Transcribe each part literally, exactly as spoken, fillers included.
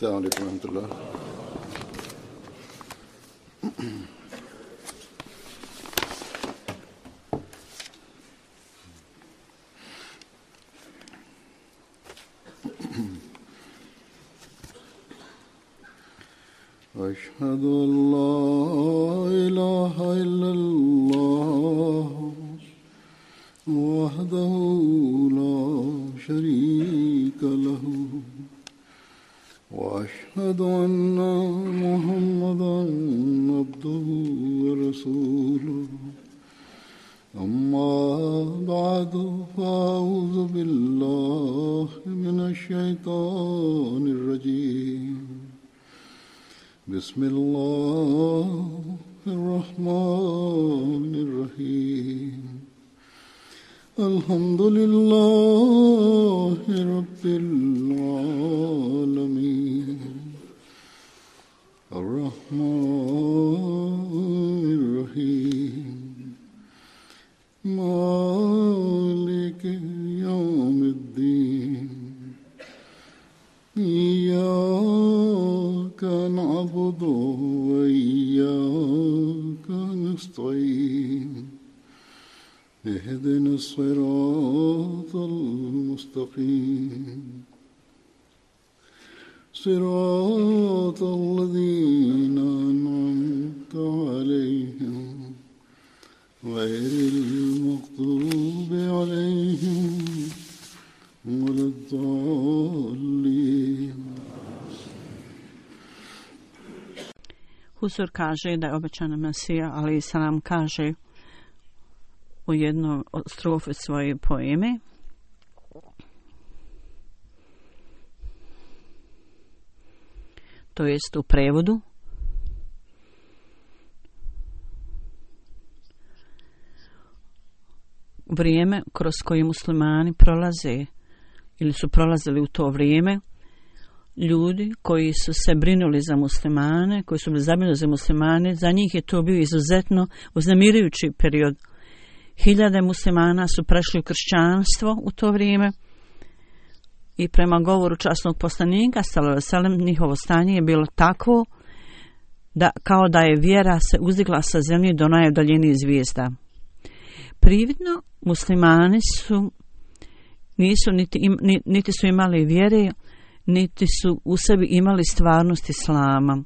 السلام عليكم ورحمة الله. أشهد أن لا إله إلا الله وحده لا شريك له وأشهد أن محمدا عبده ورسوله أما بعد فأعوذ بالله من الشيطان الرجيم بسم الله الرحمن الرحيم الحمد لله رب العالمين الرحمن الرحيم مالك يوم الدين إياك نعبد وإياك نستعين اهدنا الصراط المستقيم صراط الذين أنعمت عليهم غير المغضوب عليهم ولا الضالين. Husur kaže da je obećana Mesija, ali Salam kaže u jednoj strofi svoje poeme to jest u prevodu vrijeme kroz koje muslimani prolaze ili su prolazili u to vrijeme, ljudi koji su se brinuli za muslimane, koji su bili zabrinuti za muslimane, za njih je to bio izuzetno uznemirujući period. Hiljade muslimana su prešli u kršćanstvo u to vrijeme i prema govoru časnog poslanika sallallahu alejhi ve sellem njihovo stanje je bilo takvo da kao da je vjera se uzdigla sa zemlje do najudaljenijih zvijezda. Prividno muslimani su nisu niti, im, niti su imali vjere, niti su u sebi imali stvarnost islama.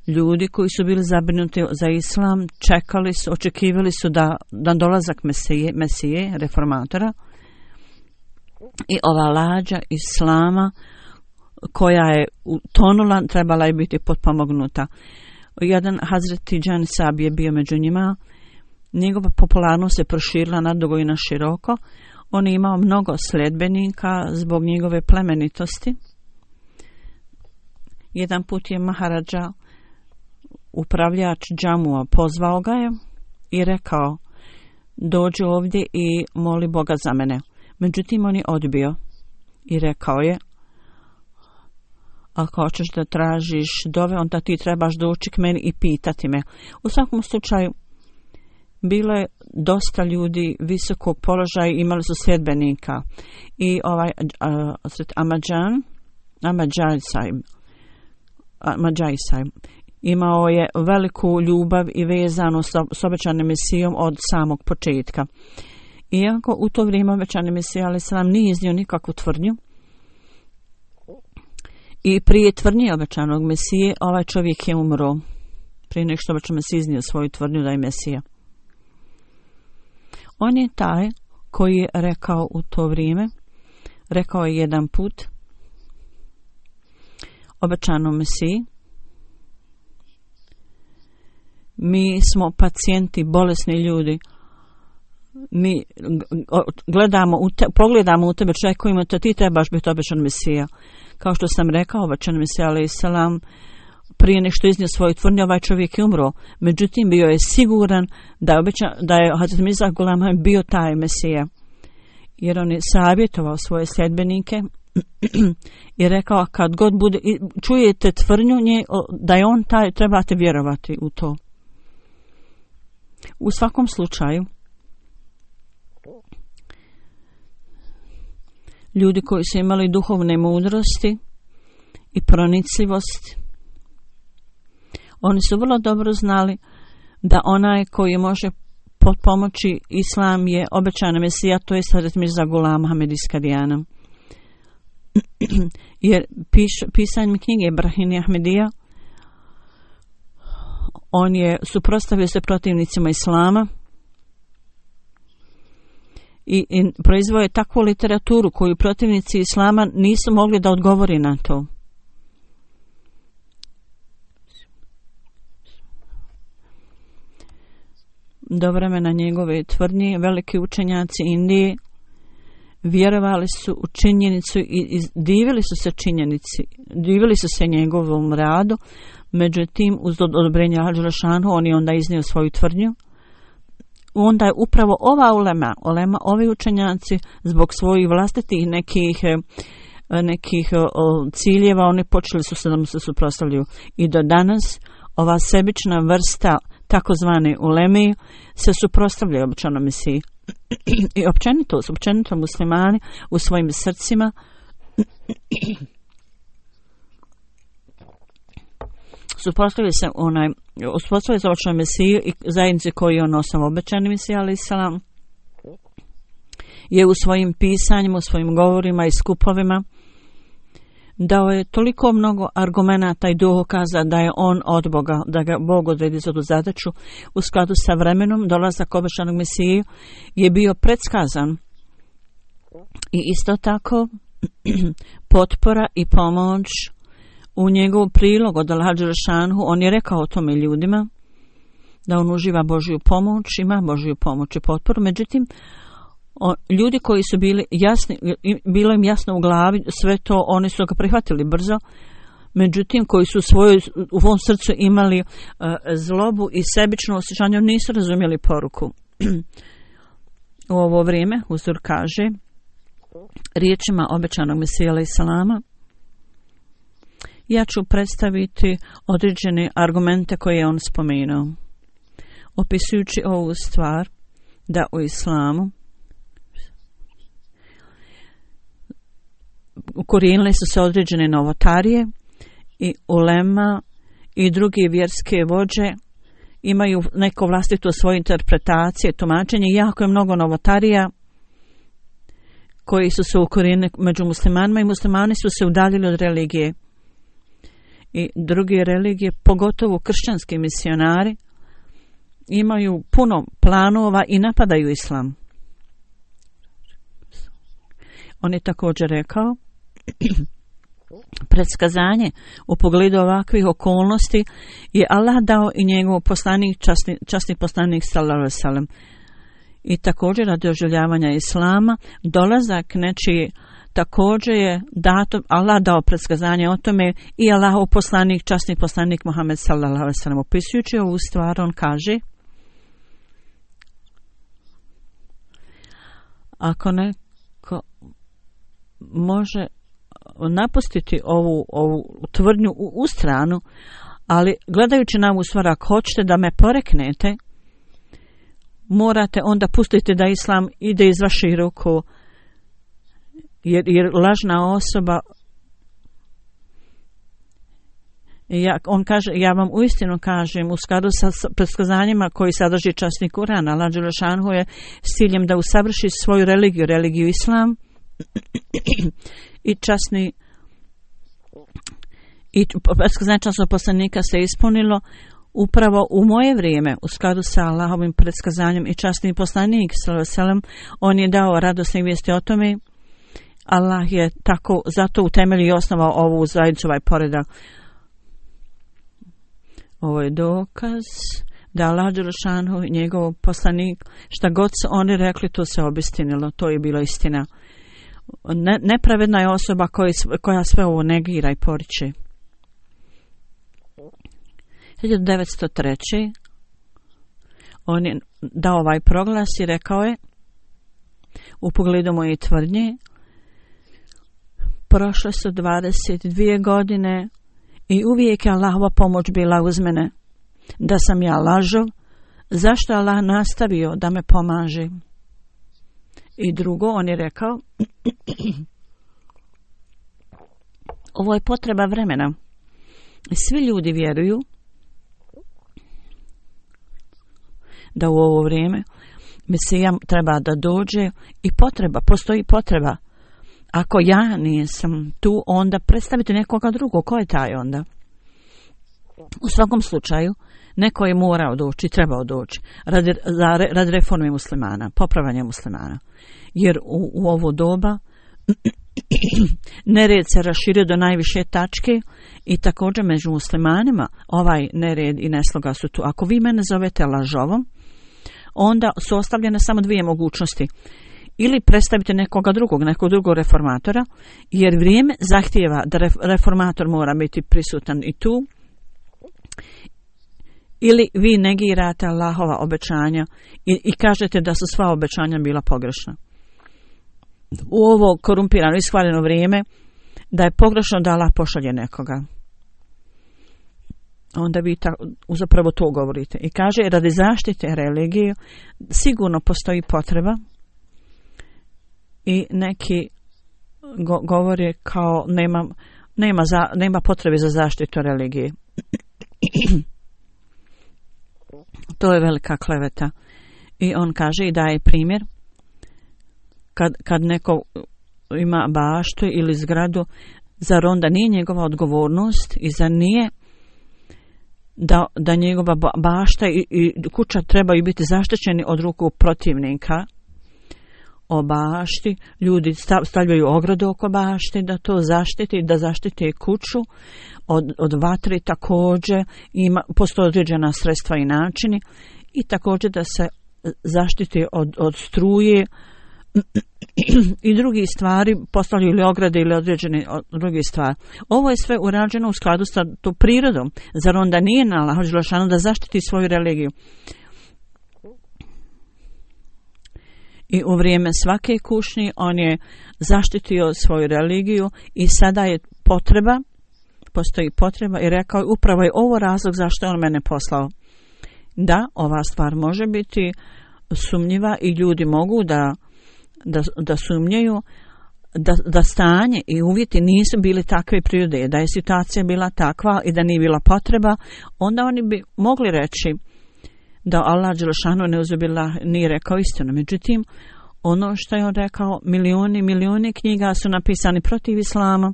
Ljudi koji su bili zabrinuti za islam čekali su, očekivali su da, da dolazak Mesije, Mesije, reformatora, i ova lađa islama koja je utonula trebala je biti potpomognuta. Jedan Hazret Tidžan Sab je bio među njima. Njegova popularnost se proširila nadugo i na široko. On je imao mnogo sledbenika zbog njegove plemenitosti. Jedan put je Maharadža, upravljač džamua, pozvao ga je i rekao: dođi ovdje i moli Boga za mene. Međutim, on je odbio i rekao je: ako hoćeš da tražiš dove, onda ti trebaš doći k meni i pitati me. U svakom slučaju, bilo je dosta ljudi visokog položaja, imali su sljedbenika. I ovaj uh, Ahmadžan, Ahmadžajsaj, Ahmadžajsaj, imao je veliku ljubav i vezanu s obećanim Mesijom od samog početka. Iako u to vrijeme obećani Mesija alejhi selam nije iznio nikakvu tvrdnju, i prije tvrdnje obećanog Mesije ovaj čovjek je umro, prije nego što obećan Mesija iznio svoju tvrdnju da je Mesija. On je taj koji je rekao u to vrijeme, rekao je jedan put obećanom Mesiji: mi smo pacijenti, bolesni ljudi. Mi gledamo u te, pogledamo u tebe, čekujemo te, ti trebaš biti obećan Mesija. Kao što sam rekao, obećan Mesija alejhi selam prije nešto iznio svoju tvrdnju, ovaj čovjek je umro. Međutim, bio je siguran da je, obećan, da je Hazret Mirza Ghulam Ahmad bio taj Mesija. Jer on je savjetovao svoje sljedbenike i rekao: kad god bude, čujete tvrdnju nje, da je on taj, trebate vjerovati u to. U svakom slučaju, ljudi koji su imali duhovne mudrosti i pronicljivost. Oni su vrlo dobro znali da onaj koji može pomoći islam je obećana Mesija, to je Hazret Mirza Ghulam Ahmed iz Kadijana. Jer piš, pisanjem knjige Brahini Ahmedija on je suprotstavio se protivnicima islama i, i proizveo je takvu literaturu koju protivnici islama nisu mogli da odgovori na to. Do vremena njegove tvrdnje veliki učenjaci Indije vjerovali su u činjenicu i, i divili su se činjenici, divili su se njegovom radu. Međutim, uz odobrenje Allaha dželle šanuhu on je onda iznio svoju tvrdnju. Onda je upravo ova ulema, ulema ovi učenjaci zbog svojih vlastitih nekih nekih o, ciljeva oni počeli su se da mu se suprotstavljaju. I do danas ova sebična vrsta takozvane uleme se suprotstavljaju obećanom Mesiji. I općenito, općenito muslimani u svojim srcima suprotstavljaju se onaj suprotstavljaju se obećanom Mesiji i zajednici koju je on osnovao. Obećani Mesija alejhi selam je u svojim pisanjima, u svojim govorima i skupovima dao je toliko mnogo argumenata i dokaza da je on od Boga, da ga Bog odredi za tu zadaću. U skladu sa vremenom dolazak obećanog Mesije je bio predskazan i isto tako potpora i pomoć u njegov prilog od Allaha dželle šanuhu. On je rekao o tome ljudima da on uživa Božju pomoć, ima Božju pomoć i potporu. Međutim, O, ljudi koji su bili jasni, bilo im jasno u glavi sve to, oni su ga prihvatili brzo. Međutim, koji su u svojoj, u svom srcu imali uh, zlobu i sebično osjećanje, nisu razumjeli poruku. U ovo vrijeme Huzur kaže riječima obećanog Mesija alejhi selama: ja ću predstaviti određene argumente koje je on spomenuo, opisujući ovu stvar da u islamu ukorijenile su se određene novotarije i ulema i drugi vjerske vođe imaju neko vlastito svoje interpretacije, tumačenje. Jako je mnogo novotarija koji su se ukorijenili među muslimanima i muslimani su se udaljili od religije. I druge religije, pogotovo kršćanski misionari, imaju puno planova i napadaju islam. On je također rekao predskazanje u pogledu ovakvih okolnosti je Allah dao i njegov poslanik, časni, časni poslanik sallallahu alejhi ve sellem. I također radi oživljavanja islama dolazak nečiji također je dato, Allah dao predskazanje o tome i Allahov poslanik, časni poslanik Muhammed sallallahu alejhi ve sellem. Opisujući ovu stvar on kaže: ako neko može napustiti ovu, ovu tvrdnju u, u stranu, ali gledajući na ovu stvar, ako hoćete da me poreknete, morate onda pustiti da islam ide iz vaših ruku, jer, jer lažna osoba, ja, on kaže, ja vam uistinu kažem, u skladu sa predskazanjima koji sadrži časni Kur'an, Allah dželle šanuhu je s ciljem da usavrši svoju religiju, religiju islam, i časni i predskazanje časnog poslanika se ispunilo upravo u moje vrijeme, u skladu sa Allahovim predskazanjem. I časni poslanik sallallahu alejhi ve sellem on je dao radosne vijesti o tome. Allah je tako zato utemeljio i osnovao ovu zajednicu, ovaj poredak. Ovo je dokaz da Allah dželle šanuhu i njegov poslanik, šta god su oni rekli, to se obistinilo, to je bilo istina. Ne, nepravedna je osoba koja, koja sve ovo negira i poriče. hiljadu devetsto treće. on je dao ovaj proglas i rekao je u pogledu moje tvrdnje: prošle su dvadeset dvije godine i uvijek je Allahova pomoć bila uz mene. Da sam ja lažov, zašto Allah nastavio da me pomaže? I drugo, on je rekao Ovo je potreba vremena. Svi ljudi vjeruju da u ovo vrijeme Mesija treba da dođe i potreba, postoji potreba. Ako ja nisam tu, onda predstavite nekoga drugog. Ko je taj onda? U svakom slučaju, neko je morao doći, trebao doći radi, radi reforme muslimana, popravanja muslimana. Jer u, u ovo doba nered se raširio do najviše tačke i također među muslimanima ovaj nered i nesloga su tu. Ako vi mene zovete lažovom, onda su ostavljene samo dvije mogućnosti. Ili predstavite nekoga drugog, nekog drugog reformatora, jer vrijeme zahtijeva da reformator mora biti prisutan i tu, ili vi negirate Allahova obećanja i, i kažete da su sva obećanja bila pogrešna. U ovo korumpirano, ishvaljeno vrijeme, da je pogrešno da Allah pošalje nekoga. Onda vi ta, zapravo to govorite. I kaže, radi zaštite religije sigurno postoji potreba i neki go, govore kao nema, nema, za, nema potrebe za zaštitu religije. To je velika kleveta. I on kaže i daje primjer kad, kad neko ima baštu ili zgradu, zar onda nije njegova odgovornost i zar nije da, da njegova bašta i, i kuća trebaju biti zaštićeni od ruku protivnika o bašti. Ljudi stavljaju ogradu oko bašti da to zaštiti, da zaštite kuću od, od vatre također. Ima, postoje određena sredstva i načini i također da se zaštiti od, od struje i drugi stvari, postavljaju ili ograde ili određene druge stvari. Ovo je sve urađeno u skladu sa to prirodom. Zar onda nije na Allahu dželešanu da zaštiti svoju religiju? I u vrijeme svake kušnje on je zaštitio svoju religiju i sada je potreba, postoji potreba i rekao je upravo je ovo razlog zašto je on mene poslao. Da, ova stvar može biti sumnjiva i ljudi mogu da Da, da sumnjaju da, da stanje i uvjeti nisu bili takve prirode, da je situacija bila takva i da nije bila potreba, onda oni bi mogli reći da Allah dželešanu neuzubila nije rekao istinu. Međutim, ono što je on rekao, milioni, milioni knjiga su napisani protiv islama.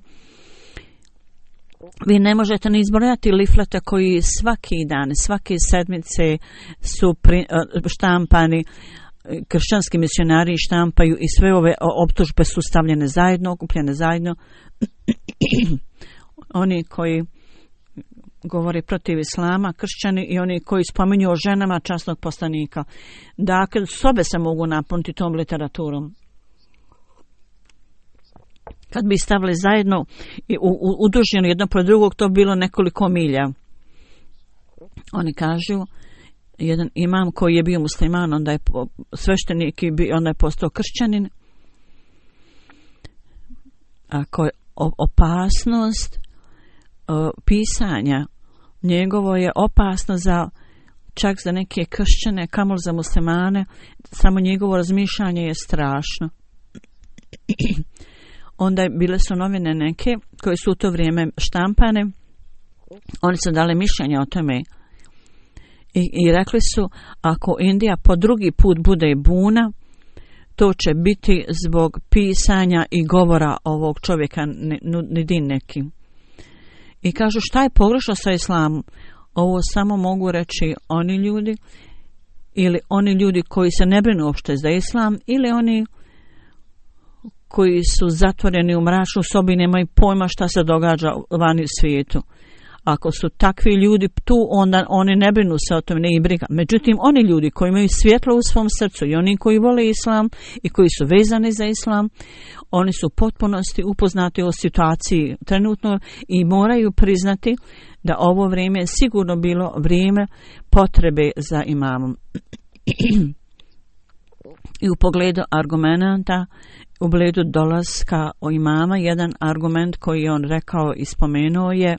Vi ne možete ni izbrojati liflete koji svaki dan, svake sedmice su pri, štampani, kršćanski misionari štampaju i sve ove optužbe su stavljene zajedno, okupljene zajedno. Oni koji govore protiv islama, kršćani i oni koji spominju o ženama časnog poslanika. Dakle, sobe se mogu napuniti tom literaturom. Kad bi stavili zajedno i uduženo jedno pro drugog, to bilo nekoliko milja. Oni kažu, jedan imam koji je bio musliman, onda je sveštenik i onda je postao kršćanin. Ako je opasnost o, pisanja njegovo je opasno za čak za neke kršćane, kamol za muslimane, samo njegovo razmišljanje je strašno. Onda je, bile su novine neke koje su u to vrijeme štampane, oni su dali mišljenje o tome. I, I rekli su, ako Indija po drugi put bude buna, to će biti zbog pisanja i govora ovog čovjeka, Nidin neki. I kažu, šta je pogrešno sa islamom? Ovo samo mogu reći oni ljudi, ili oni ljudi koji se ne brinu uopšte za islam, ili oni koji su zatvoreni u mračnu sobi i nemaju pojma šta se događa vani u svijetu. Ako su takvi ljudi tu, onda oni ne brinu se o tome, ne i briga. Međutim, oni ljudi koji imaju svjetlo u svom srcu i oni koji vole islam i koji su vezani za islam, oni su u potpunosti upoznati o situaciji trenutno i moraju priznati da ovo vrijeme je sigurno bilo vrijeme potrebe za imamom. I u pogledu argumenta, u pogledu dolaska o imama, jedan argument koji on rekao i spomenuo je,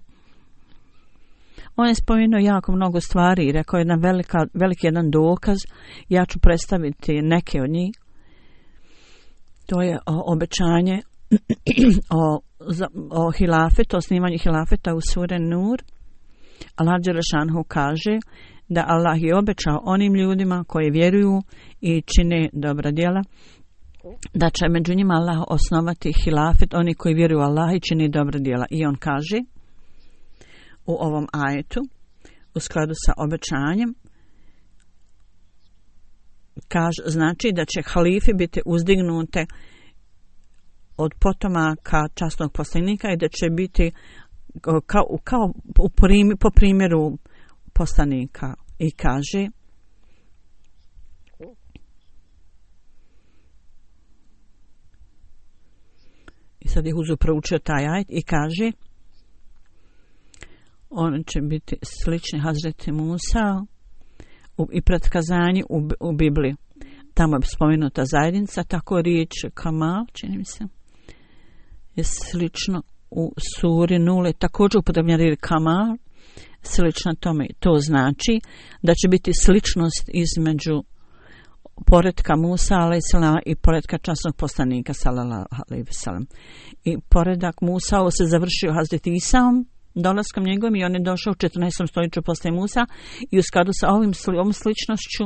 on je spomenuo jako mnogo stvari i rekao je jedan velika, veliki jedan dokaz. Ja ću predstaviti neke od njih. To je o, obećanje o za, o hilafetu, osnivanju hilafeta u sure Nur, Allah dželešanu kaže da Allah je obećao onim ljudima koji vjeruju i čine dobra djela, da će među njima Allah osnovati hilafet, oni koji vjeruju u Allah i čini dobra djela. I on kaže u ovom ajetu, u skladu sa obećanjem, kaže, znači da će halife biti uzdignute od potomaka časnog poslanika i da će biti kao, kao u primi, po primjeru poslanika. I kaže i sad je Huzu proučio taj ajet i kaže on će biti slični Hazreti Musa u, i pretkazanji u, u Bibliji. Tamo je spomenuta zajednica, tako riječ kamal, čini mi se, je slično u suri Nule, također upotrebljena riječ kamal, slično tome. To znači da će biti sličnost između poretka Musa alejselama i poretka časnog poslanika sallallahu alejhi ve sellem. I poredak Musa se završio Hazreti Isaom, dolaskom njegovim, i on je došao u četrnaestom stoljeću poslije Musa, i u skladu sa ovim, ovom sličnošću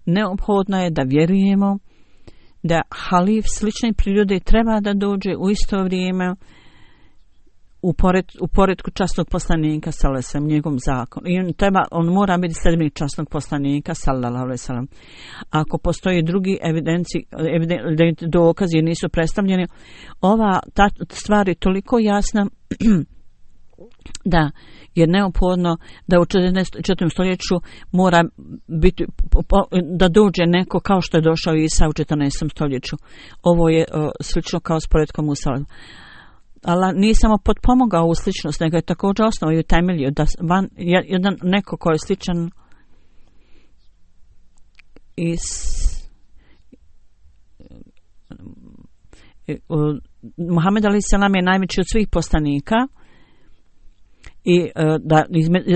neophodno je da vjerujemo da halif slične prirode treba da dođe u isto vrijeme u, pored, u poredku časnog poslanika sallallahu alejhi ve sellem, njegov zakon. I on, treba, on mora biti sljedbenik časnog poslanika sallallahu alejhi ve sellem. Ako postoji drugi evidenci, evident, dokazi jer nisu predstavljeni, ova ta stvar je toliko jasna da je neophodno da u četvrtom stoljeću mora biti, da dođe neko kao što je došao Isa u četrnaestom stoljeću. Ovo je o, slično kao s poredkom Musa. Allah nije samo potpomogao ovu sličnost, nego je također osnovao i temeljio da van, jedan neko ko je sličan i Muhammed alejhi selam je najveći od svih poslanika i da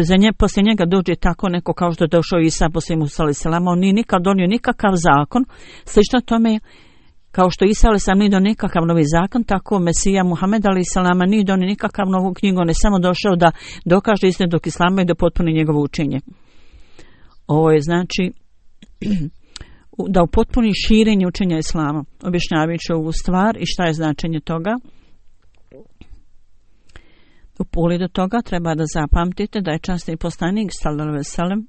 za nje, poslije njega dođe tako neko kao što je došao Isa poslije Musa alejhi selam, on nije nikad donio nikakav zakon, slično tome kao što Isa alejhi selam nije donio nikakav novi zakon, tako Mesija Muhammed alejhi selam nije donio nikakav novu knjigu, on je samo došao da dokaže istinitog islama i da potpuni njegovo učenje. Ovo je znači da upotpuni širenje učenja islama. Objašnjavajući ovu stvar i šta je značenje toga. U pogledu toga treba da zapamtite da je časni poslanik sallallahu alejhi ve sellem,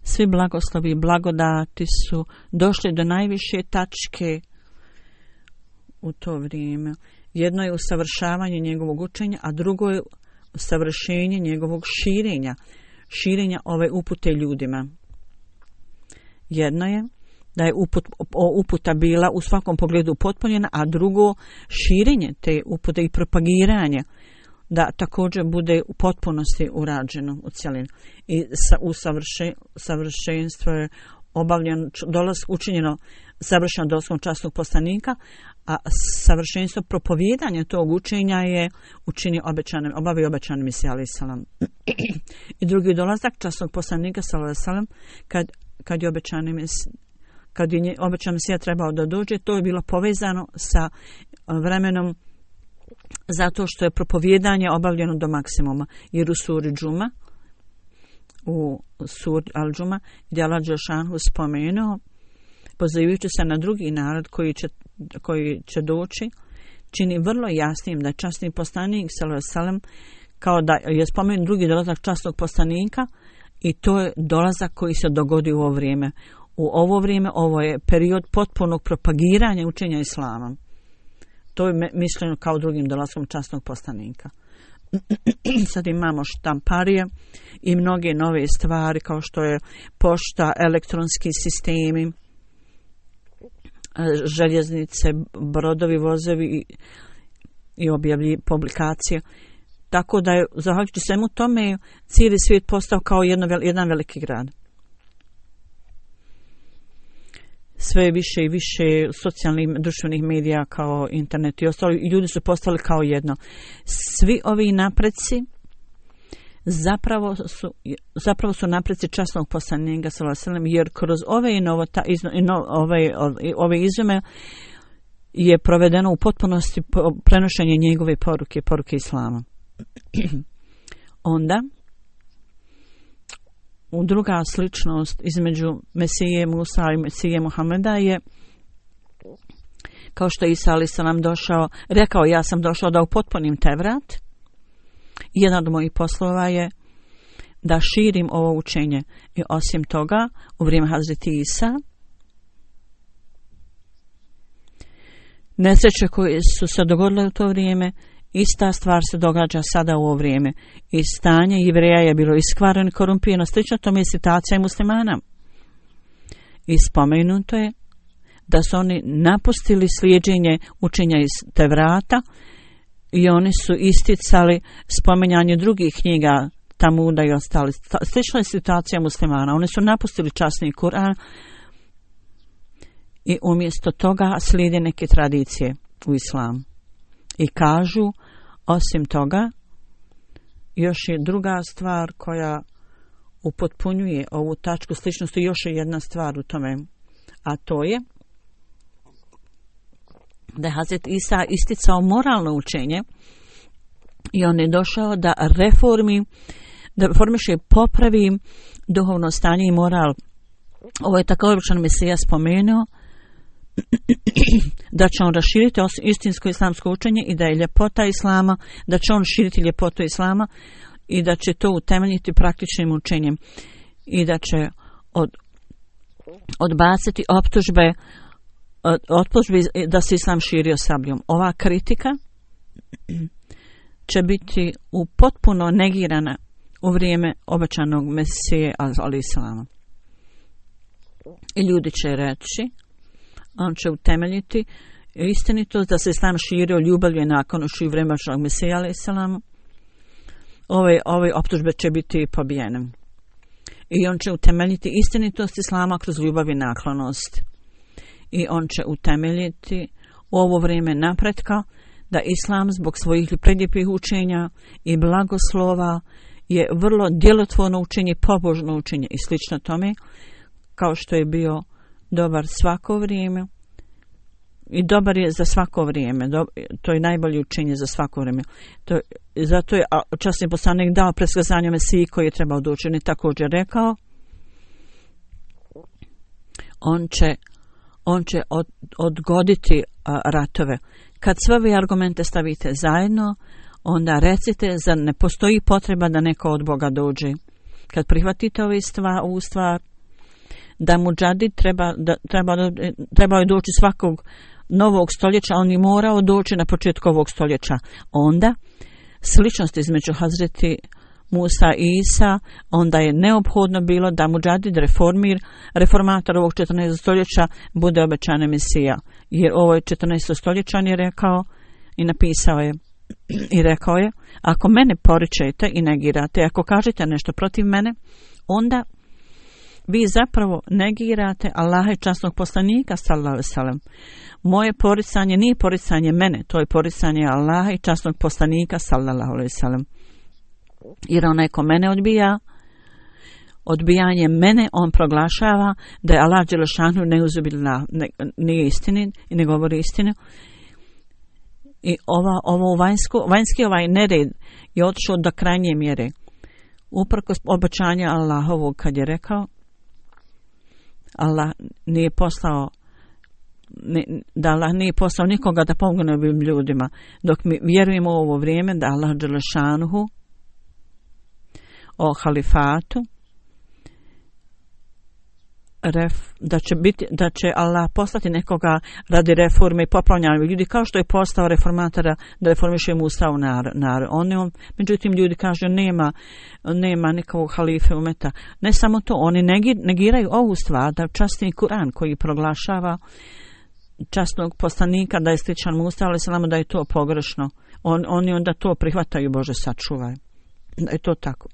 svi blagoslovi i blagodati su došli do najviše tačke u to vrijeme. Jedno je usavršavanje njegovog učenja, a drugo je usavršenje njegovog širenja, širenja ove upute ljudima. Jedno je da je uput, uputa bila u svakom pogledu upotpunjena, a drugo širenje te upute i propagiranje da također bude u potpunosti urađeno u cjelini. I sa, u savrše, savršenstvo je obavljeno, dolaz učinjeno savršeno dolaskom časnog poslanika, a savršenstvo propovijedanja tog učenja je učinio obećanim, obavio obećanim Mesija alejhi selam. I drugi dolazak časnog poslanika sallallahu alejhi ve sellem, kad kad je obećani kad je obećan Mesija trebao da dođe, to je bilo povezano sa vremenom zato što je propovijedanje obavljeno do maksimuma. Jer u suri Džuma, u suri Al-Džuma, gdje Allah dželešanu spomenuo, pozivajući se na drugi narod koji će, koji će doći, čini vrlo jasnim da je časni poslanik sallallahu alejhi ve sellem, kao da je spomenut drugi dolazak časnog poslanika, i to je dolazak koji se dogodio u ovo vrijeme. U ovo vrijeme, ovo je period potpunog propagiranja učenja islama. To je mišljeno kao drugim dolaskom časnog poslanika. Sad imamo štamparije i mnoge nove stvari kao što je pošta, elektronski sistemi, željeznice, brodovi, vozovi i, i objavlji publikacije. Tako da je, zahvaljujući svemu tome, cijeli svijet postao kao jedno, jedan veliki grad. Sve više i više socijalnih društvenih medija kao internet i ostalo, i ljudi su postali kao jedno. Svi ovi napreci zapravo su, zapravo su napreci časnog poslanika sallallahu alejhi ve sellem, jer kroz ove, novota, izno, ino, ove, ove izume je provedeno u potpunosti prenošenje njegove poruke, poruke Islama. Onda, druga sličnost između Mesije Musa i Mesije Muhameda je kao što je Isa alejhi selam došao, rekao ja sam došao da upotpunim Tevrat. Jedan od mojih poslova je da širim ovo učenje. I osim toga, u vrijeme Hazreti Isa, nesreće koje su se dogodile u to vrijeme, ista stvar se događa sada u ovo vrijeme. I stanje Jevreja je bilo iskvareno i korumpirano. Slično tome je situacija i muslimana. I spomenuto je da su oni napustili slijeđenje učenja iz Tevrata i oni su isticali spominjanje drugih knjiga, Tamuda i ostali. Slična je situacija muslimana. Oni su napustili časni Kur'an i umjesto toga slijede neke tradicije u islamu. I kažu, osim toga, još je druga stvar koja upotpunjuje ovu tačku sličnosti, još je jedna stvar u tome, a to je da je Hazret Isa isticao moralno učenje i on je došao da reformi, da formiše, popravi duhovno stanje i moral. Ovo je tako običan Mesija spomenuo da će on raširiti istinsko islamsko učenje i da je ljepota Islama, da će on širiti ljepotu Islama i da će to utemeljiti praktičnim učenjem i da će od, odbaciti optužbe optužbe da se Islam širio sabljom. Ova kritika će biti u potpuno negirana u vrijeme obećanog Mesije alejhi selama. I ljudi će reći, on će utemeljiti istinitost da se Islam širio ljubavlju nakon u vrijeme obećanog Mesije alejhi selama. Ove, ove optužbe će biti pobijene. I on će utemeljiti istinitost Islama kroz ljubav i naklonost. I on će utemeljiti u ovo vrijeme napretka da Islam zbog svojih predljepih učenja i blagoslova je vrlo djelotvorno učenje, pobožno učenje i slično tome, kao što je bio dobar svako vrijeme i dobar je za svako vrijeme. Do, to je najbolje učenje za svako vrijeme. To, zato je časni poslanik dao predskazanje Mesiji koji je trebao doći. On je također rekao, on će on će od, odgoditi a, ratove. Kad sve ove argumente stavite zajedno, onda recite, zar ne postoji potreba da neko od Boga dođe? Kad prihvatite ove stvar, ovu stvar, da muđadid treba, da, treba, trebao je doći svakog novog stoljeća, on je morao doći na početku ovog stoljeća. Onda, sličnost između Hazreti Musa i Isa, onda je neophodno bilo da muđadid, reformir, reformator ovog četrnaestog stoljeća bude obećana Mesija. Jer ovo je četrnaesto stoljeća, on je rekao i napisao je i rekao je, ako mene poričete i negirate, ako kažete nešto protiv mene, onda vi zapravo negirate Allaha i časnog poslanika sallallahu alejhi ve sellem. Moje poricanje nije poricanje mene, to je poricanje Allaha i časnog poslanika sallallahu alejhi ve sellem. Jer onaj ko mene odbija, odbijanje mene, on proglašava da je Allah dželešanu neuzubillah, ne, nije istinit i ne govori istinu. I ova, ovo vanjsko, vanjski ovaj nered je otišao do krajnje mjere. Uprkos obećanja Allahovog kad je rekao, Allah nije poslao, ne, da Allah nije poslao nikoga da pomogne ovim ljudima. Dok mi vjerujemo u ovo vrijeme da Allah dželešanuhu o halifatu, ref, da će biti, da će Allah poslati nekoga radi reforme i popravljanja ljudi, kao što je postao reformatora da reformiše Musa u narod. On, on, međutim, ljudi kažu nema, nema nikakvog halife umeta. Ne samo to, oni negiraju ovu stvar da časni Kur'an koji proglašava časnog poslanika da je sličan Musa, ali samo da je to pogrešno. On, oni onda to prihvataju, Bože sačuvaj. Da je to tako.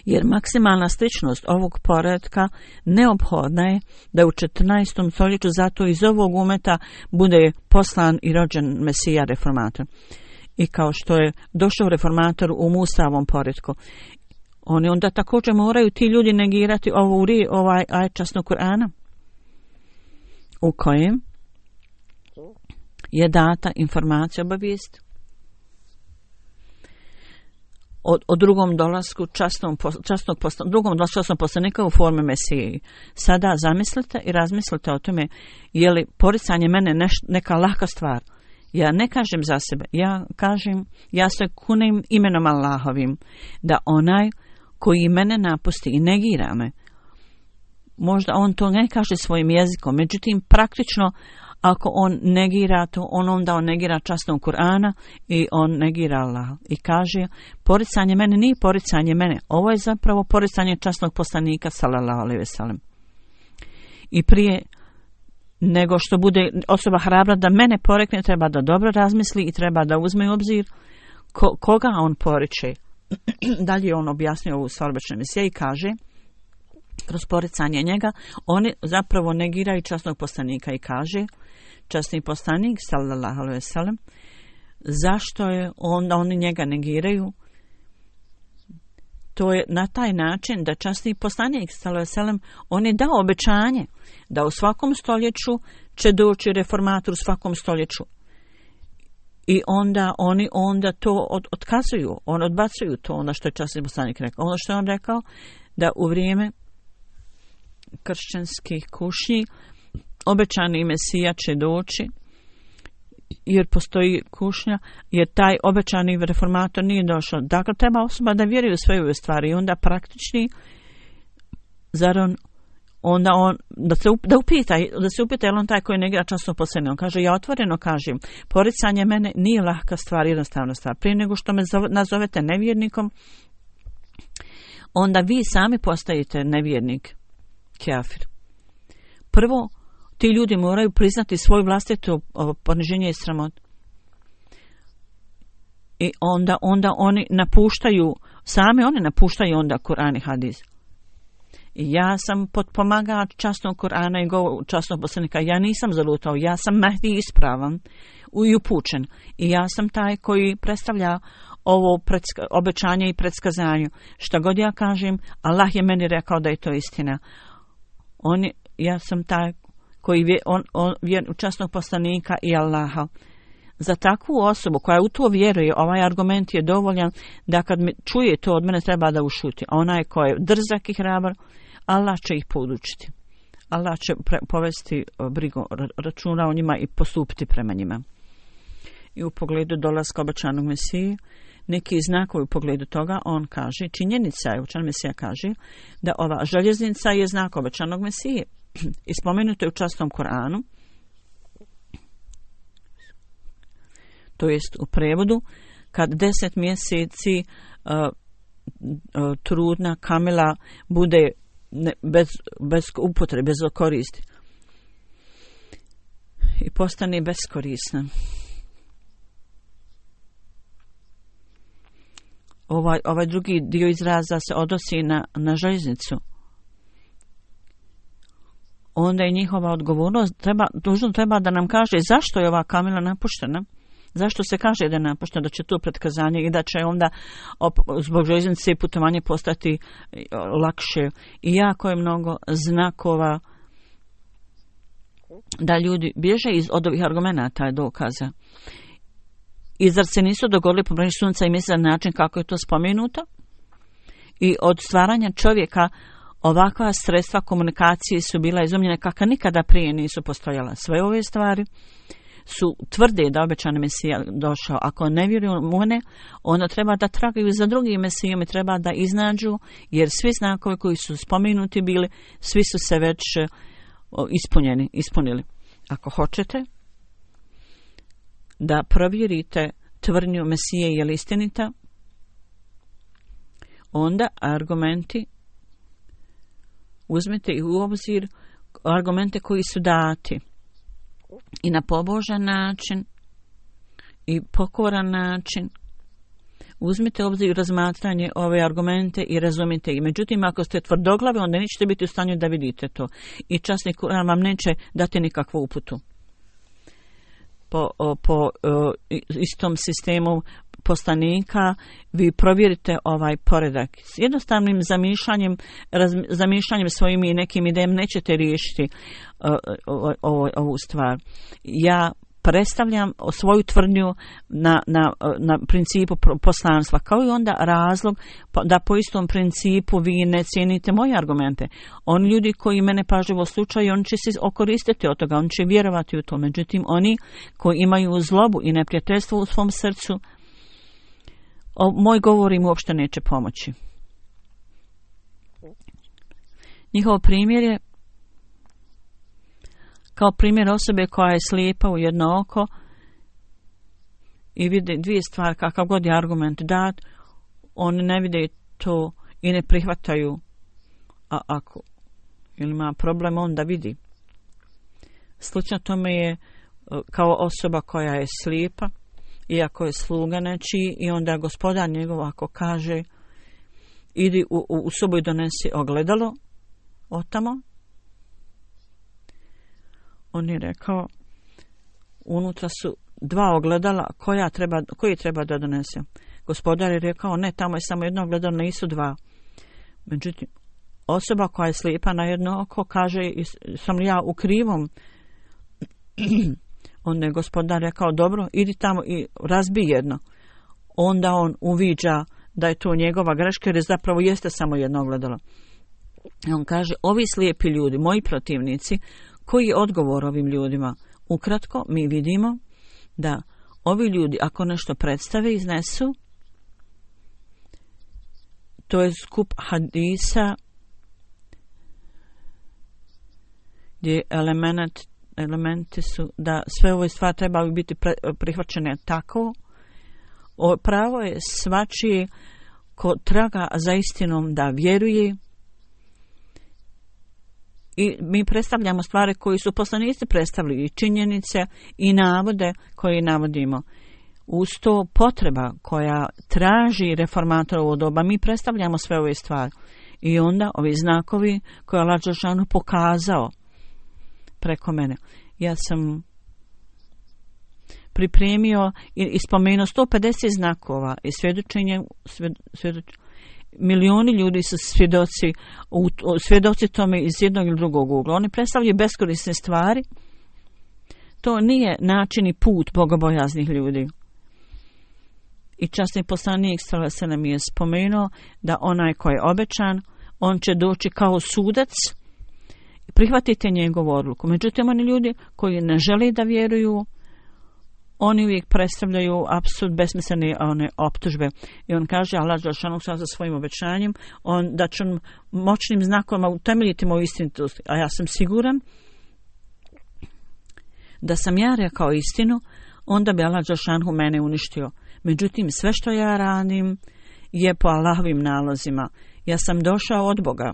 Jer maksimalna sličnost ovog poretka neophodna je da u četrnaestom stoljeću zato iz ovog umeta bude poslan i rođen Mesija reformator. I kao što je došao reformator u Musavom poretku, oni onda također moraju ti ljudi negirati ovu, ovaj ajet časnog Kur'ana u kojem je data informacija, obavijest o, o drugom dolasku časnom, časnog posla, drugom dolasku časnog poslanika u formi Mesije. Sada zamislite i razmislite o tome je li poricanje mene neš, neka laka stvar. Ja ne kažem za sebe, ja kažem, ja se kunem imenom Allahovim, da onaj koji mene napusti i negira me, možda on to ne kaže svojim jezikom, međutim praktično ako on negira to, on onda on negira časnog Kur'ana i on negira Allah. I kaže, poricanje mene nije poricanje mene, ovo je zapravo poricanje časnog poslanika sallallahu alejhi ve sellem. I prije nego što bude osoba hrabra da mene porekne, treba da dobro razmisli i treba da uzme u obzir ko, koga on poriče. Dalje on objasnio ovu stvar obične misije i kaže, kroz poricanje njega, oni zapravo negiraju časnog poslanika i kaže, časni poslanik, sallallahu alejhi ve sellem, zašto je onda oni njega negiraju? To je na taj način da časni poslanik, sallallahu alejhi ve sellem, on je dao obećanje da u svakom stoljeću će doći reformator u svakom stoljeću. I onda oni onda to od, otkazuju, on odbacuju to, ono što je časni poslanik rekao. Ono što je on rekao, da u vrijeme kršćanskih kušnji obećani Mesija će doći, jer postoji kušnja, jer taj obećani reformator nije došao. Dakle, treba osoba da vjeruje u sve ove stvari i onda praktični, zar on, onda on, da se da upita, da se upita je on taj koji negira časno poslanika. On kaže, ja otvoreno kažem, poricanje mene nije lahka stvar, jednostavna stvar. Prije nego što me zove, nazovete nevjernikom, onda vi sami postajete nevjernik, kafir. Prvo, ti ljudi moraju priznati svoju vlastitu poniženje i sramot. I onda, onda oni napuštaju, sami oni napuštaju onda Kur'an i hadis. I ja sam potpomagač časnog Kur'ana i go, časnog poslanika. Ja nisam zalutao, ja sam Mehdi ispravan i upućen. I ja sam taj koji predstavlja ovo predska, obećanje i predskazanje. Šta god ja kažem, Allah je meni rekao da je to istina. On, ja sam taj koji vje, on, on, vjer u časnog poslanika i Allaha. Za takvu osobu koja u to vjeruje, ovaj argument je dovoljan da kad mi čuje to od mene treba da ušuti. A onaj ko je drzak i hrabar, Allah će ih podučiti. Allah će pre, povesti brigu, računa o njima i postupiti prema njima. I u pogledu dolaska obećanog Mesije, neki znakovi u pogledu toga, on kaže, činjenica je, obećan Mesija kaže, da ova željeznica je znak obećanog Mesije. I spomenuto je u časnom Kur'anu, to jest u prevodu, kad deset mjeseci uh, uh, trudna kamila bude ne, bez, bez upotrebe, bez koristi i postane beskorisna. Ovaj, ovaj drugi dio izraza se odnosi na, na željeznicu. Onda je njihova odgovornost, treba, dužno treba da nam kaže zašto je ova kamila napuštena. Zašto se kaže da je napuštena, da će to pretkazanje i da će onda op, zbog željeznice putovanje postati lakše. I jako je mnogo znakova da ljudi bježe iz, od ovih argumenata i dokaza. I zar se nisu dogodili problemi sunca i mjeseca na način kako je to spomenuto? I od stvaranja čovjeka ovakva sredstva komunikacije su bila izumljene kakva nikada prije nisu postojala. Sve ove stvari su tvrde da obećani Mesija došao. Ako ne vjeruju u ne, onda treba da tragaju za drugim Mesijom i treba da iznađu, jer svi znakovi koji su spomenuti bili, svi su se već ispunjeni, ispunili. Ako hoćete da provjerite tvrdnju Mesije je li istinita, onda argumenti uzmite i u obzir argumente koji su dati i na pobožan način i pokoran način. Uzmite u obzir razmatranje ove argumente i razumite ih. Međutim, ako ste tvrdoglavi, onda nećete biti u stanju da vidite to. I časni Kur'an vam neće dati nikakvu uputu. Po, po istom sistemu poslanika vi provjerite ovaj poredak. S jednostavnim zamišljanjem, raz, zamišljanjem svojim i nekim idejama nećete riješiti uh, ovo, ovu stvar. Ja predstavljam svoju tvrdnju na, na, na principu poslanstva, kao i onda razlog da po istom principu vi ne cijenite moje argumente. Oni ljudi koji mene pažljivo slušaju, oni će se okoristiti od toga, oni će vjerovati u to. Međutim, oni koji imaju zlobu i neprijateljstvo u svom srcu, o, moj govor im uopšte neće pomoći. Njihov primjer je kao primjer osobe koja je slijepa u jedno oko i vide dvije stvari, kakav god je argument dat, oni ne vide to i ne prihvataju, a ako ili ima problem, onda vidi. Slično tome je kao osoba koja je slijepa, iako je sluga nečiji, i onda gospodar njegov ako kaže idi u, u, u sobu i donesi ogledalo otamo, on je rekao unutra su dva ogledala, koja treba, koji treba da donese. Gospodar je rekao ne, tamo je samo jedno ogledalo, nisu dva. Međutim, osoba koja je slijepa na jedno oko kaže sam li ja u krivom. Onda je gospodar rekao dobro, idi tamo i razbi jedno. Onda on uviđa da je to njegova greška, jer je zapravo jeste samo jedno ogledalo. I on kaže, ovi slijepi ljudi, moji protivnici, koji je odgovor ovim ljudima? Ukratko, mi vidimo da ovi ljudi, ako nešto predstave, iznesu, to je skup hadisa gdje element, elementi su da sve ove stvari trebaju biti pre, prihvaćene tako. O, pravo je svačije ko traga za istinom da vjeruje. I mi predstavljamo stvari koji su poslanici predstavili, i činjenice i navode koje navodimo. Uz to potreba koja traži reformatorovo doba, mi predstavljamo sve ove stvari. I onda ovi znakovi koje je Allah dželešanu pokazao preko mene. Ja sam pripremio i, i spomenuo sto pedeset znakova i svjedočenje, svjed, svjedočenje milioni ljudi su svjedoci, u, svjedoci tome iz jednog ili drugog ugla. Oni predstavljaju beskorisne stvari. To nije način i put bogobojaznih ljudi. I časni poslanik sallallahu alejhi ve sellem je spomenuo da onaj koji je obećan, on će doći kao sudac i prihvatite njegovu odluku. Međutim, oni ljudi koji ne žele da vjeruju, oni uvijek predstavljaju apsurd, besmislene one optužbe. I on kaže, Allah dželešanu sa svojim obećanjem, on da će on moćnim znakovima utemeljiti moju istinitost. A ja sam siguran da sam ja rekao istinu, onda bi Allah dželešanu mene uništio. Međutim, sve što ja radim je po Allahovim nalozima. Ja sam došao od Boga.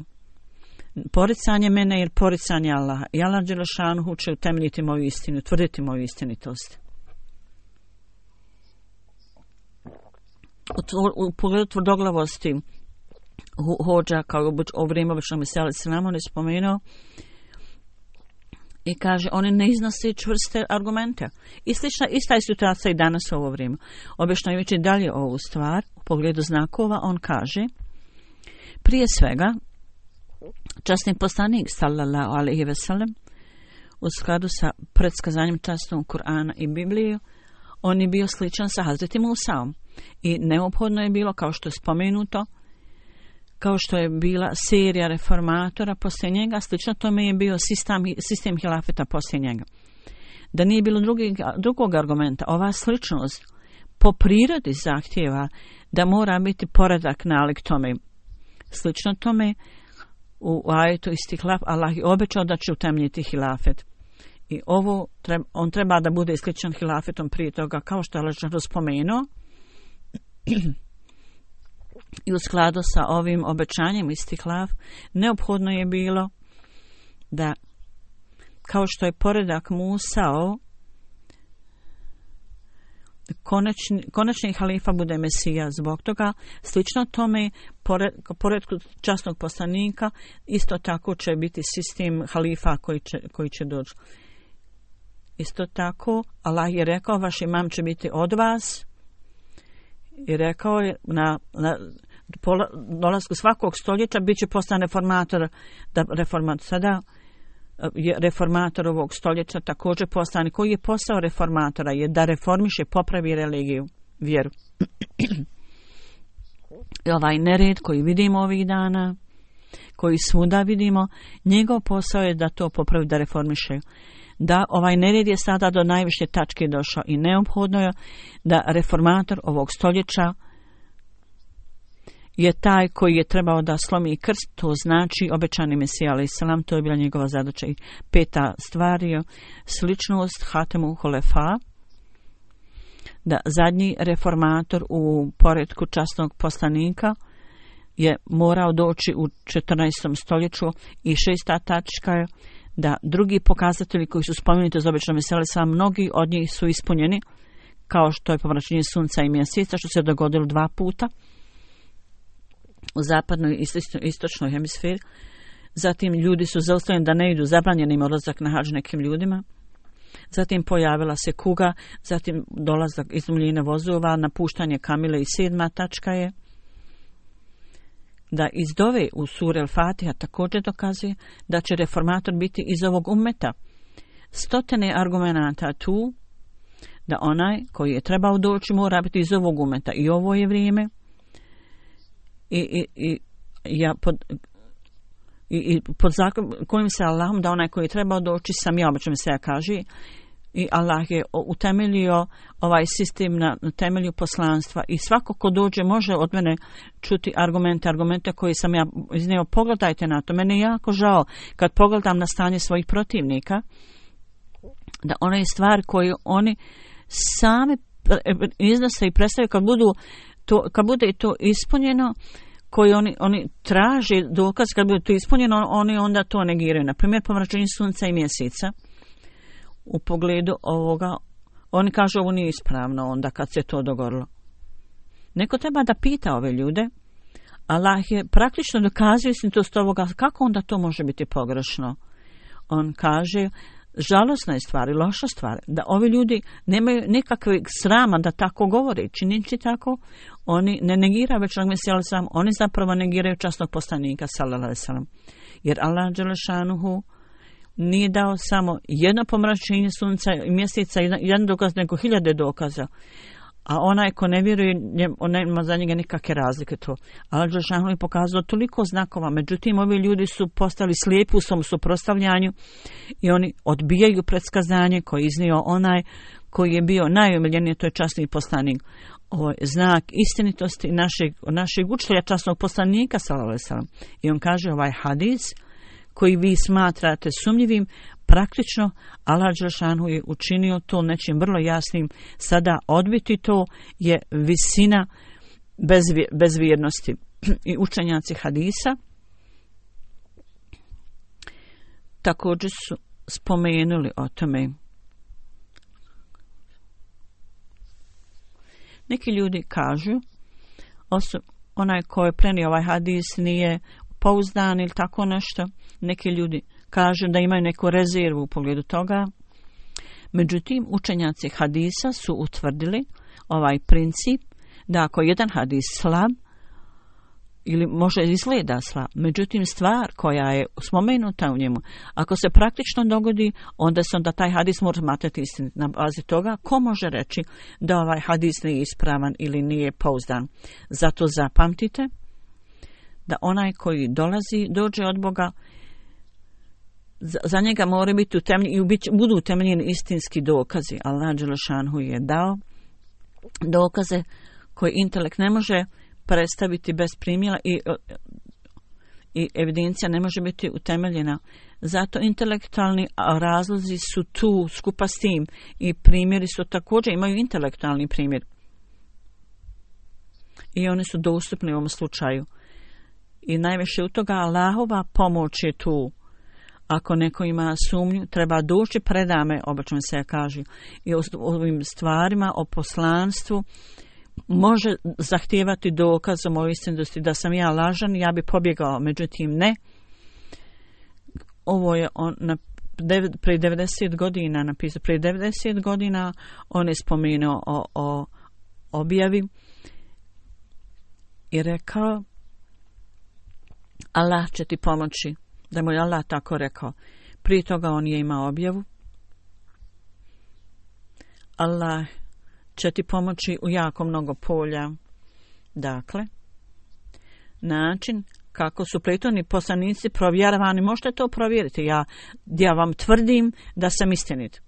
Poricanje mene je poricanje Allaha. I Allah dželešanu će utemeljiti moju istinu, tvrditi moju istinitost. U, u pogledu tvrdoglavosti hođa, kao u vrijeme obično mesele selam, on je spomenuo i kaže, oni ne iznose čvrste argumente. I slična, ista je situacija i danas u ovo vrijeme. Objašnjavajući dalje ovu stvar, u pogledu znakova, on kaže, prije svega, časni poslanik, sallallahu alejhi ve sellem, u skladu sa predskazanjem časnog Kur'ana i Biblije, on je bio sličan sa Hazreti Musaom. I neophodno je bilo, kao što je spomenuto, kao što je bila serija reformatora poslije njega, slično tome je bio sistem, sistem hilafeta poslije njega. Da nije bilo drugi, drugog argumenta, ova sličnost po prirodi zahtjeva da mora biti poredak nalik tome. Slično tome u ajetu Istihlaf Allah je obećao da će utemeljiti hilafet. I ovo, on treba da bude isličan hilafetom prije toga, kao što je Allah spomenuo. I u skladu sa ovim obećanjem Istihlaf, neophodno je bilo da, kao što je poredak Musao, konačni, konačni halifa bude Mesija. Zbog toga, slično tome, pored, poredku časnog poslanika, isto tako će biti sistem halifa koji će, koji će doći. Isto tako, Allah je rekao, vaš imam će biti od vas. I rekao je na, na dolasku svakog stoljeća bit će postan reformator, da reformator sada je reformator ovog stoljeća također poslanik. Koji je posao reformatora? Je da reformiše, popravi religiju, vjeru. I ovaj nered koji vidimo ovih dana, koji svuda vidimo, njegov posao je da to popravi, da reformiše. Da ovaj nered je sada do najviše tačke došao i neophodno je da reformator ovog stoljeća je taj koji je trebao da slomi krst, to znači obećani Mesija alejhi selam, to je bila njegova zadaća. I peta stvar je sličnost Hatemu Holefa, da zadnji reformator u poretku časnog poslanika je morao doći u četrnaestom stoljeću i šesta tačka je da drugi pokazatelji koji su spomenuti za obećani Mesija alejhi selam, mnogi od njih su ispunjeni, kao što je pomračenje sunca i mjeseca, što se dogodilo dva puta u zapadnoj i istočnoj hemisferi. Zatim ljudi su zaustavljeni da ne idu, zabranjen im odlazak na hadž nekim ljudima. Zatim pojavila se kuga, zatim dolazak izumljenja vozova, napuštanje kamile i sedma tačka je da iz dove u suri Al-Fatiha također dokazuje da će reformator biti iz ovog ummeta. Stotine argumenata tu da onaj koji je trebao doći mora biti iz ovog ummeta i ovo je vrijeme. I, i, i, ja pod, i, i pod zakon kojim se Allahom da onaj koji je trebao doći sam ja, obično se ja kaže, i Allah je utemeljio ovaj sistem na, na temelju poslanstva i svako ko dođe može od mene čuti argumente, argumente koje sam ja iznio. Pogledajte na to, mene je jako žao kad pogledam na stanje svojih protivnika, da one stvari koje oni sami iznose i predstavljaju kad budu to, kad bude to ispunjeno, koji oni, oni traže dokaz, kad bude to ispunjeno, oni onda to negiraju. Na primjer, pomračenje sunca i mjeseca. U pogledu ovoga, oni kažu ovo nije ispravno onda kad se to dogodilo. Neko treba da pita ove ljude. Allah je praktično dokazuje istinitost ovoga, kako onda to može biti pogrešno? On kaže, žalosna je stvar i loša stvar, da ovi ljudi nemaju nikakve srama da tako govore, činići tako, oni ne negiraju već Mesija sam, oni zapravo negiraju časnog poslanika sallallahu alejhi ve sellem. Jer Allah dželle šanuhu nije dao samo jedno pomračenje sunca i mjeseca, jedan dokaz, nego hiljade dokaza. A onaj ko ne vjeruje, on nema za njega nikakve razlike to. Allah dželle šanuhu je pokazao toliko znakova, međutim ovi ljudi su postali slijepi u svom suprotstavljanju i oni odbijaju predskazanje koje je iznio onaj koji je bio najomiljeniji, to je časni poslanik. Ovo je znak istinitosti našeg, našeg učitelja časnog poslanika sallallahu alejhi ve sellem. I on kaže ovaj hadis koji vi smatrate sumnjivim, praktično Allah dželle šanuhu je učinio to nečim vrlo jasnim. Sada odbiti to je visina bezvje, bezvjernosti. I učenjaci hadisa također su spomenuli o tome. Neki ljudi kažu, oso, onaj ko je prenio ovaj hadis nije pouzdan ili tako nešto. Neki ljudi kažu da imaju neku rezervu u pogledu toga. Međutim, učenjaci hadisa su utvrdili ovaj princip da ako jedan hadis slab ili može izgleda slab, međutim stvar koja je spomenuta u njemu, ako se praktično dogodi, onda se onda taj hadis mora smatrati istinit. Na bazi toga, ko može reći da ovaj hadis nije ispravan ili nije pouzdan? Zato zapamtite da onaj koji dolazi, dođe od Boga, za, za njega mora biti utemeljeni i bit, budu utemeljeni istinski dokazi. Allah dželle šanuhu je dao dokaze koje intelekt ne može predstaviti bez primjera i, i evidencija ne može biti utemeljena. Zato intelektualni razlozi su tu skupa s tim i primjeri su također, imaju intelektualni primjer. I oni su dostupni u ovom slučaju. I najviše u toga Allahova pomoć je tu. Ako neko ima sumnju, treba doći predame, obično se kaže, i o ovim stvarima, o poslanstvu, može zahtijevati dokazom o istinitosti da sam ja lažan, ja bi pobjegao, međutim ne. Ovo je on na prije devedeset godina napisao, prije devedeset godina on je spomenuo o, o objavi i rekao Allah će ti pomoći, da mu je Allah tako rekao. Prije toga on je imao objavu. Allah će ti pomoći u jako mnogo polja. Dakle, način kako su prethodni poslanici provjeravani, možete to provjeriti. Ja, ja vam tvrdim da sam istinit.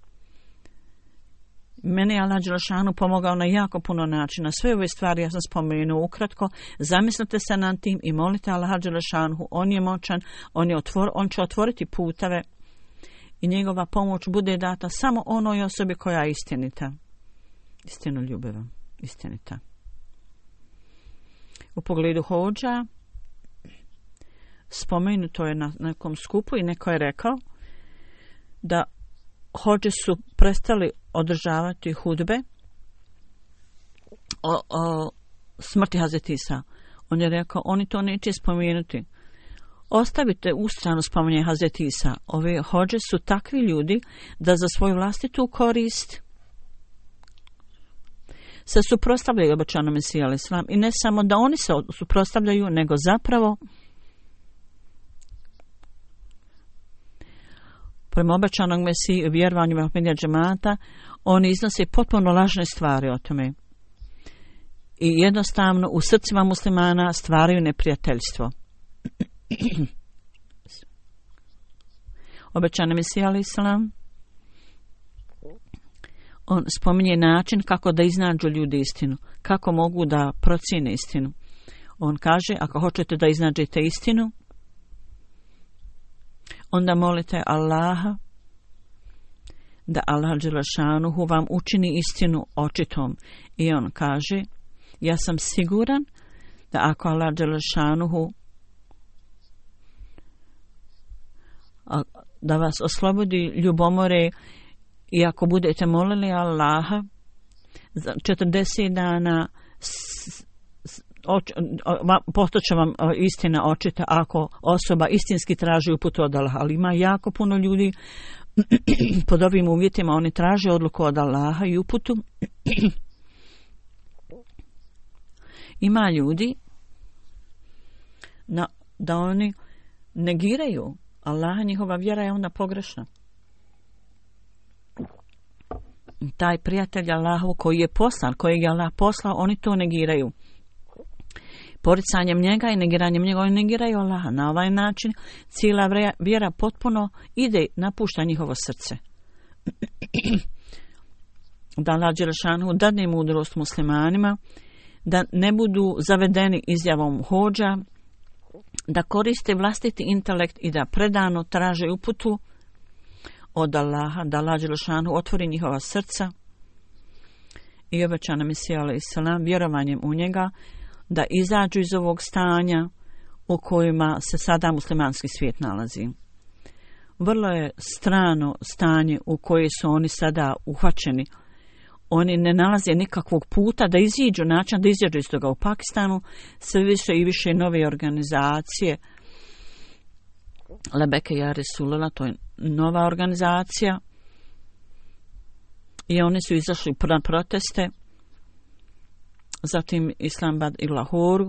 Mene je Allah Đelešanu pomogao na jako puno načina. Sve ove stvari ja sam spomenuo ukratko. Zamislite se nad tim i molite Allah Đelešanu. On je moćan, on, je otvor, on će otvoriti puteve i njegova pomoć bude data samo onoj osobi koja je istinita. Istinu ljubiva, istinita. U pogledu hodža, spomenuto je na nekom skupu i neko je rekao da hodže su prestali održavati hudbe o, o smrti Hazreti Isa. On je rekao, oni to neće spomenuti. Ostavite u stranu spominje Hazreti Isa. Ove hodže su takvi ljudi da za svoju vlastitu korist se suprotstavljaju obećanom Mesiji alejhi selam. I ne samo da oni se suprotstavljaju, nego zapravo prema obećanog Mesiji i vjerovanju Ahmedija džemata, oni iznose potpuno lažne stvari o tome. I jednostavno u srcima muslimana stvaraju neprijateljstvo. Obećani Mesija alejhi selam, on spominje način kako da iznađu ljudi istinu, kako mogu da procijene istinu. On kaže, ako hoćete da iznađete istinu, onda molite Allaha da Allah Đelešanuhu vam učini istinu očitom. I on kaže, ja sam siguran da ako Allah Đelešanuhu da vas oslobodi ljubomore i ako budete molili Allaha za četrdeset dana postaće vam istina očita ako osoba istinski traži uputu od Allaha. Ali ima jako puno ljudi pod ovim uvjetima, oni traže odluku od Allaha i uputu. Ima ljudi na, da oni negiraju Allaha, njihova vjera je onda pogrešna. Taj prijatelj Allahov koji je poslan, kojeg je Allah poslao, oni to negiraju. Poricanjem njega i negiranjem njega oni negiraju Allaha. Na ovaj način cijela vjera potpuno ide, napušta njihovo srce. Da Allah Đelešanu dadne mudrost muslimanima, da ne budu zavedeni izjavom hodža, da koriste vlastiti intelekt i da predano traže uputu od Allaha, da Allah Đelešanu otvori njihova srca i obećana Mesija alejhi selam vjerovanjem u njega da izađu iz ovog stanja u kojima se sada muslimanski svijet nalazi. Vrlo je strano stanje u koje su oni sada uhvaćeni. Oni ne nalaze nikakvog puta da iziđu, način da iziđu iz toga. U Pakistanu sve više i više nove organizacije. Lebeke ja Resulullah, to je nova organizacija. I oni su izašli na proteste. Zatim Islamabad i Lahoru.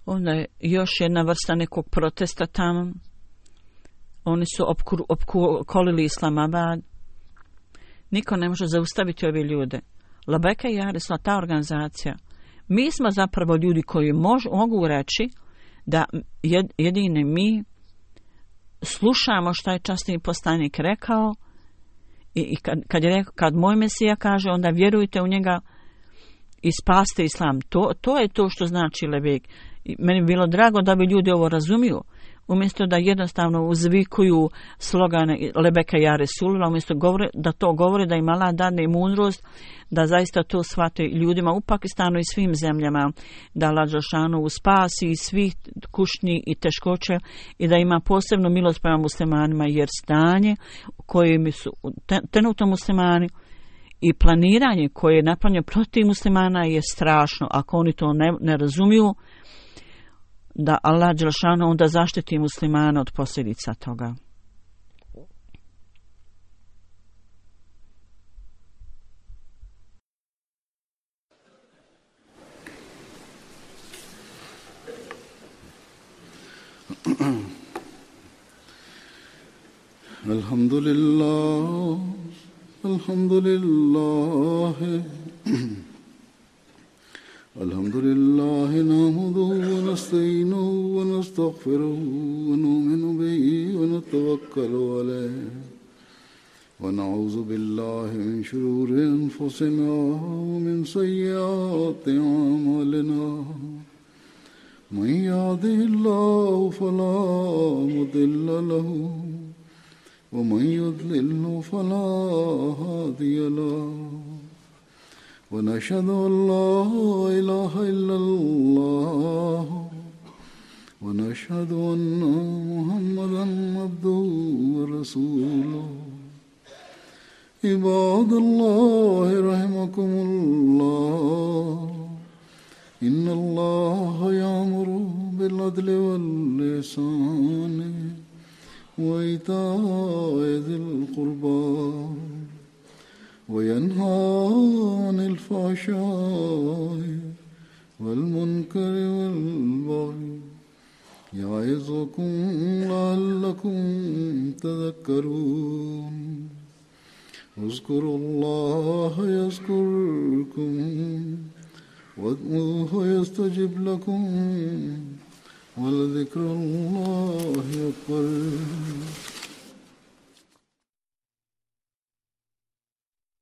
Onda je još jedna vrsta nekog protesta tamo. Oni su opkolili Islamabad. Niko ne može zaustaviti ove ljude. Labeka i Arisla, ta organizacija. Mi smo zapravo ljudi koji mož, mogu reći da jed, jedine mi slušamo što je časni poslanik rekao i, i kad, kad, je rekao, kad moj Mesija kaže, onda vjerujte u njega i spaste islam. To, to je to što znači Lebek. I meni bi bilo drago da bi ljudi ovo razumiju. Umjesto da jednostavno uzvikuju slogane Lebeka ja Resulullah, umjesto govore, da to govore, da im Allah dadne mudrost, da zaista to shvate ljudima u Pakistanu i svim zemljama, da Allah Đelešanu spasi iz svih kušnji i teškoće i da ima posebnu milost prema muslimanima, jer stanje koje su trenutno muslimani i planiranje koje je napravljeno protiv muslimana je strašno. Ako oni to ne, ne razumiju, da Allah Đelešanu onda zaštiti muslimana od posljedica toga. الحمد لله الحمد لله الحمد لله نحمده ونستعينه ونستغفره ونؤمن به ونتوكل عليه ونعوذ بالله من شرور أنفسنا ومن سيئات أعمالنا من يهده الله فلا مضل له ومن يضلل فلا هادي له ونشهد أن لا إله إلا الله ونشهد أن محمدا عبده ورسوله عباد الله رحمكم الله إن الله يأمر بالعدل والإحسان وإيتاء ذي القربى وينهى عن الفحشاء والمنكر والبغي يعظكم لعلكم تذكرون اذكروا الله يذكركم وادعوه يستجب لكم ولذكر الله أكبر